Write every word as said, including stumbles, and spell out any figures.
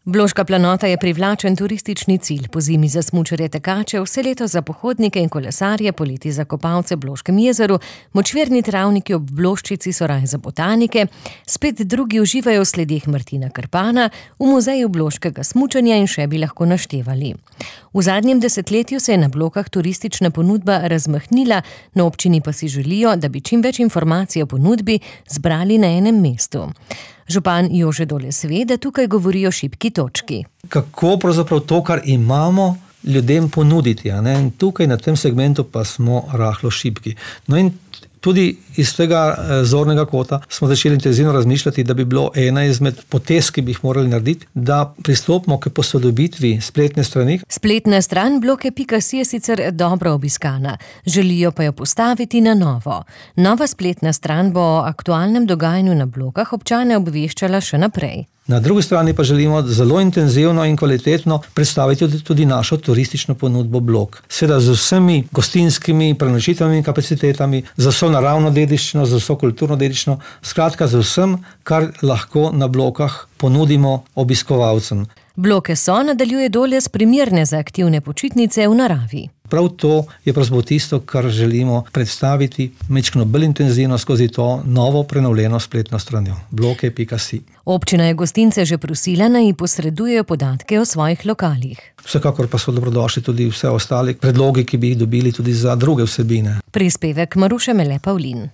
Bloška planota je privlačen turistični cilj, pozimi za smučarje tekače, vse leto za pohodnike in kolesarje, poleti za kopalce v Bloškem jezeru, močvirni travniki ob Bloščici so raj za botanike, spet drugi uživajo v sledeh Martina Krpana, v muzeju bloškega smučanja in še bi lahko naštevali. V zadnjem desetletju se je na Blokah turistična ponudba razmahnila, na občini pa si želijo, da bi čim več informacij o ponudbi zbrali na enem mestu. Župan Jože Doles ve, da tukaj govori o šibki točki. Kako pravzaprav to, kar imamo, ljudem ponuditi, a ne? In tukaj na tem segmentu pa smo rahlo šibki. No in tudi iz tega zornega kota smo začeli intenzivno razmišljati, da bi bilo ena izmed potez, ki bi jih morali narediti, da pristopimo k posodobitvi spletne strani. Spletna stran bloke pika si je sicer dobro obiskana, želijo pa jo postaviti na novo. Nova spletna stran bo o aktualnem dogajanju na Blokah občane obveščala še naprej. Na drugi strani pa želimo zelo intenzivno in kvalitetno predstaviti tudi našo turistično ponudbo Blok. Seveda z vsemi gostinskimi prenočitvenimi kapacitetami, z vso naravno dediščino, z vso kulturno dediščino, skratka z vsem, kar lahko na Blokah ponudimo obiskovalcem. Bloke so, nadaljuje Doles, primerne za aktivne počitnice v naravi. Prav to je pravzaprav tisto, kar želimo predstaviti majčkeno bolj intenzivno skozi to novo prenovljeno spletno stranjo bloke pika si. Občina je gostince že prosila, naj ji posredujejo podatke o svojih lokalih. Vsekakor pa so dobrodošli tudi vse ostali predlogi, ki bi jih dobili tudi za druge vsebine. Prispevek Maruše Mele Pavlin.